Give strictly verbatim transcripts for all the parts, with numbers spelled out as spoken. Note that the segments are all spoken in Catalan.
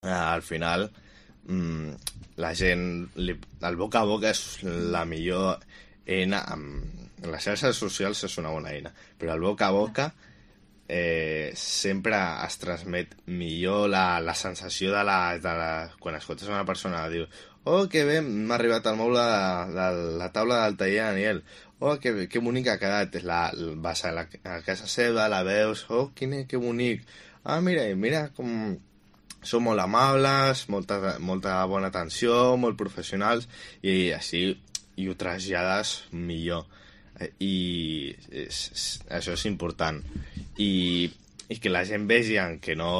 eh, al final mm, la gent, li, el boca a boca és la millor eina. Amb les xarxes socials és una bona eina, però el boca a boca eh, sempre es transmet millor la, la sensació de la, de la... Quan escoltes una persona diu oh, que bé, m'ha arribat el moble de, de la taula del taller de Daniel. Oh, que, que bonic ha quedat. La, vas a, la, a casa seva, la veus. Oh, quin, que bonic. Ah, mira, mira com... Són molt amables, molta, molta bona atenció, molt professionals, i així i ho trasllades millor. I és, és, això és important. I, i que la gent vegi que no,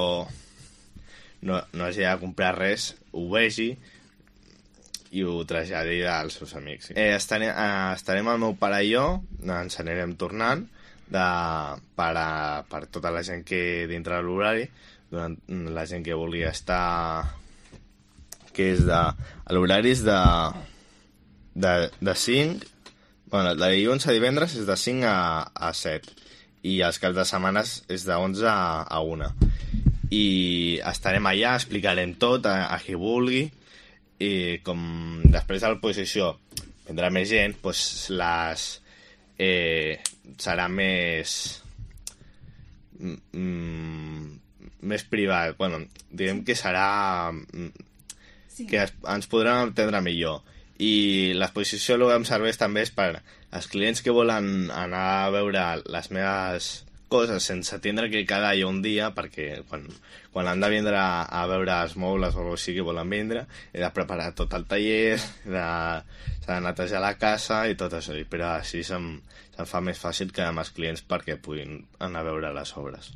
no, no hagi de comprar res, ho vegi i ho traslladi als seus amics. Eh, estarem, eh, estarem el meu pare i jo, ens anirem tornant de, per, a, per tota la gent que dintre de l'horari, durant la gent que vulgui estar, que és de... L'horari és de, de, de cinc, bueno, de dilluns a divendres és de cinc a, a set, i els caps de setmanes és de onze a, a una. I estarem allà, explicarem tot a, a qui vulgui, i com després de l'exposició vendrà més gent, doncs les... Eh, serà més... Mm, més privat, bueno, diguem que serà sí. que es, ens podran entendre millor, i l'exposició el que em serveix també és per als clients que volen anar a veure les meves coses sense tindre que quedar allà un dia, perquè quan, quan han de vindre a, a veure els mobles o així que volen vindre, he de preparar tot el taller, s'ha de netejar la casa i tot això, però així se'm, se'm fa més fàcil quedar amb els clients perquè puguin anar a veure les obres.